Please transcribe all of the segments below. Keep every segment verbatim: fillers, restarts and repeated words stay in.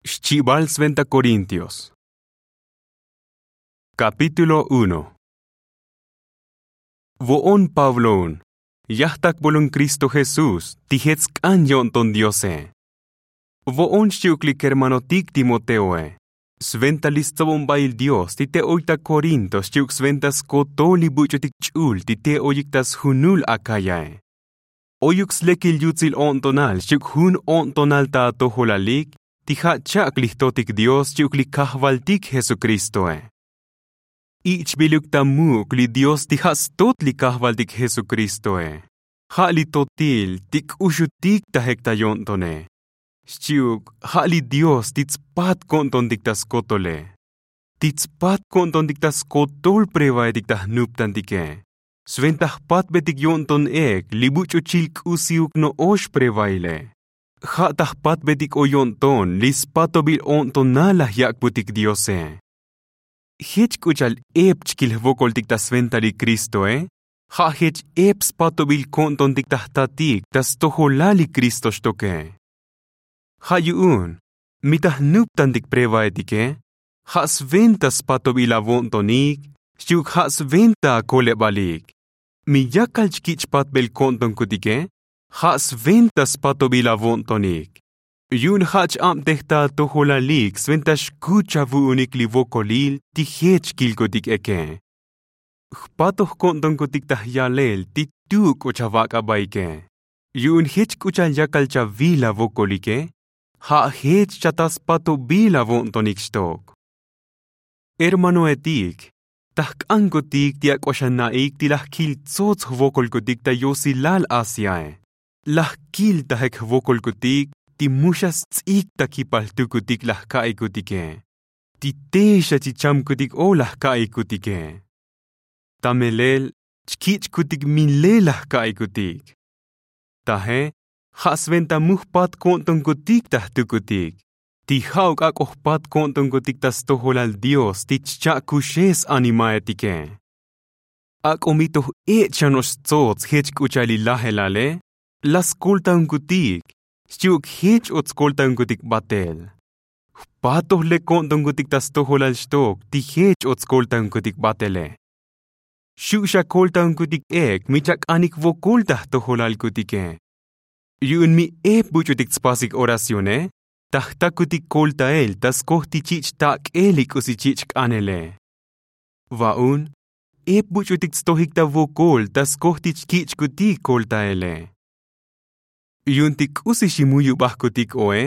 Xchibal sventa korintios. Kapítulo uno. Vo'on pabloun, yajtak bolon kristo jesús ti jech sk'an yo'nton diose. Vo'on xchi'uk li kermanotik timoteoe, sventa li stsobonbail dios ti te oy ta korinto xchi'uk sventa skotol li buch'utik ch'ul ti te oyik ta sjunul akayae. Oyuk slekil yutsil o'ntonal xchi'uk jun o'ntonal ta atojolalik ti ja' chak' li jtotik dios xchi'uk li kajvaltik jesukristoe. Ich'biluk ta muk' li dios ti ja' stot li kajvaltik jesukristoe, ja' li totil ti k'uxutik ta jek ta yo'ntone, xchi'uk ja' li dios ti tspat ko'ntontik ta skotole, ti tspat ko'ntontik ta skotol prevaetik ta jnuptantike. Sventa jpatbetik yo'nton ek li buch'uchil k'usiuk no'ox prevaile, ja' ta jpatbetik oy yo'nton li spatobil o'ntonal laj yak'butik diose. Jech k'u cha'al ep chkil jvokoltik ta sventa li kristoe, ja' jech ep spatobil ko'ntontik ta jtatik ta stojolal li kristo xtoke. Ja' yu'un, mi ta jnuptantik prevaetike, ja' sventa spatobil avo'ntonik xchi'uk ja' sventa akolebalik. Mi yakal chkich' patbel ko'ntonkutike, ja' sventa spatobil avo'ntonik, yu'un ja' ch-abtej ta atojolalik sventa xkuch avu'unik li vokolil ti jech kilkutik eke. Jpatoj ko'ntonkutik ta jyalel ti tuk' o chavak' abaike, yu'un jech k'u cha'al yakal chavil avokolike, ja' jech chata spatobil avo'ntonik xtok. Hermanoetik, ta jk'ankutik ti ak'o xana'ik ti laj kil tsots jvokolkutik ta yosilal asiae, laj kil ta jek jvokolkutik ti mu xa sts'ik ta kipaltukutik laj ka'ikutike, ti te xa chichamkutik o laj ka'ikutike. Ta melel chkich'kutik milel laj ka'ikutik. Taje, ja' sventa mu jpat ko'ntonkutik ta jtukutik, ti ja'uk ak'o jpat ko'ntonkutik ta stojolal dios ti chcha'kuxe s-animaetike. Ak'o mi toj ech' xa no'ox stsots jech k'u cha'al li lajelale, laj skoltaonkutik, xchi'uk jech o tskoltaonkutik batel. Jpatoj lek ko'ntonkutik ta stojolal xtok ti jech o tskoltaonkutik batele. Xu' xa koltaonkutik ek mi chak'anik vokol ta jtojolalkutike, yu'un mi ep buch'utik tspasik oracione, ta jtakutik koltael ta skoj ti chich' tak'el li k'usi chich' k'anele. Va'un, ep buch'utik tstojik ta vokol ta skoj ti chkich'kutik koltaele. Yu'un ti k'usi ximuyubajkutik oe,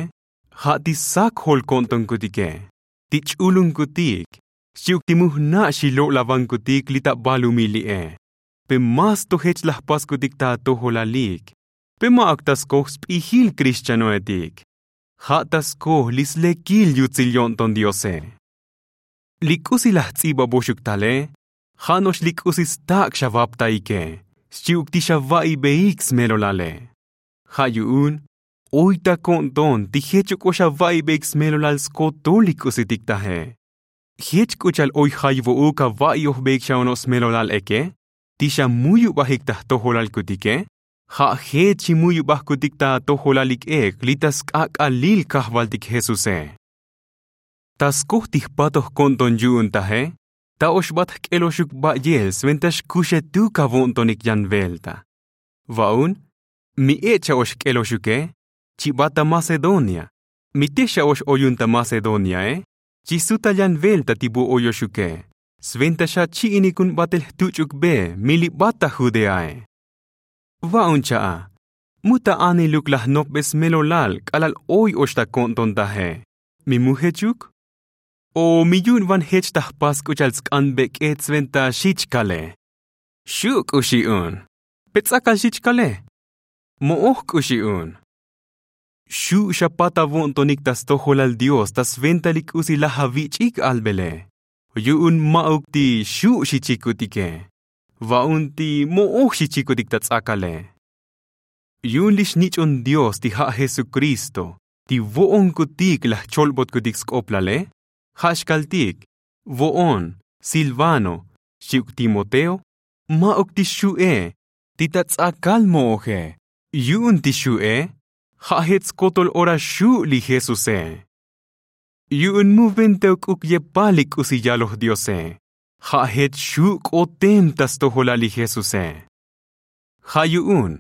ja' ti sak jol ko'ntonkutike, ti ch'ulunkutik, xchi'uk ti mu jna' xilo'lavankutik li ta balumil li'e. Pe más to jech laj paskutik ta atojolalik, pe ma'uk ta skoj sp'ijil krixchanoetik, ja' ta skoj li slekil yutsil yo'nton diose. Li k'usi laj ts'ibaboxuk tale, ja' no'ox li k'usi stak' xavaptaike, xchi'uk ti xava'ibeik smelolale. Ja' yu'un, oy ta ko'nton ti jech o k'o xava'ibeik smelolal skotol li k'usitik taje. Jech k'u cha'al oy jayvo'uk ava'iojbeik xa ono'ox smelolal eke, ti xamuyubajik ta jtojolalkutike, ja' jech ximuyubajkutik ta atojolalik ek li ta sk'ak'alil kajvaltik jesuse. Ta skoj ti jpatoj ko'nton yu'un taje, ta oxbat jk'eloxuk ba'yel sventa xkuxetuk avo'ntonik yan velta. Va'un, mi ech' xa ox jk'eloxuke, chibat ta macedonia, mi te xa ox oyun ta macedoniae, chisutal yan velta ti bu oyoxuke, sventa xachi'inik jun batel jtuch'uk be mi libat ta judeae. Va'un cha'a, mu ta aniluk laj nopbe smelolal k'alal oy ox ta ko'nton taje, mi mu jechuk? O mi yu'un van jech ta jpas k'u cha'al tsk'an bek'et sventa xich kale? Xu' k'u xi'un. Pe ts'akal xich kale? Mo'oj k'u xi'un. Xu' xapat avo'ntonik ta stojolal dios ta sventa li k'usi laj avich'ik albele, yu'un ma'uk ti xu' xichikutike, va'un ti mo'oj xichikutik ta ts'akale. Yu'un li xnich'on dios ti ja' jesukristo, ti vo'onkutik laj cholbotkutik sk'oplale, ja' xkaltik, vo'on, silvano, xchi'uk timoteo, ma'uk ti xu'e, ti ta ts'akal mo'oje, yu'un ti xu'e, ja' jech skotol ora xu' li jesuse. Yu'un mu venta ok'uk yepal li k'usi yaloj diose, ja' jech xu' k'otem ta stojolal li jesuse. Ja' yu'un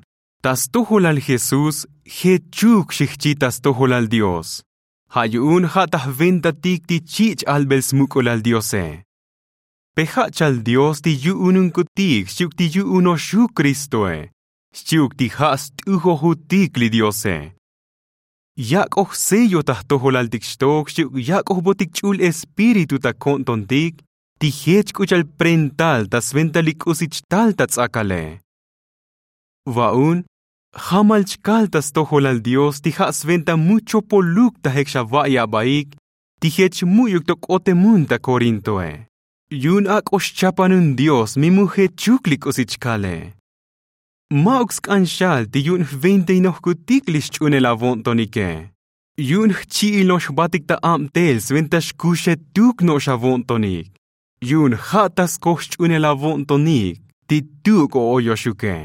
ta stojolal jesús jechuk xijchi ta stojolal dios. Ja' yu'un ja' ta jventatik ti chich' albel smuk'ulal diose. Pe ja' chal dios ti yu'ununkutik xchi'uk ti yu'unoxuk kristoe, xchi'uk ti ja' st'ujojutik li diose. Yak'oj sello ta jtojolaltik xtok xchi'uk yak'ojbotik ch'ul espíritu ta ko'ntontik ti jech k'u cha'al prental ta sventa li k'usi chtal ta ts'akale. Va'un jamal chkal ta stojolal dios ti ja' sventa mu chopoluk ta jek xava'i abaik ti jech mu'yuk to k'otemun ta korintoe. Yu'un ak'o xchapanun dios mi mu jechuk li k'usi chkale. Ma'uk sk'an xal ti yu'un jventainojkutik li xch'unel avo'ntonike. Yu'un jchi'il no'ox jbatik ta abtel sventa xkuxetuk no'ox avo'ntonik. Yu'un ja' ta skoj xch'unel avo'ntonik ti tuk o oyoxuke.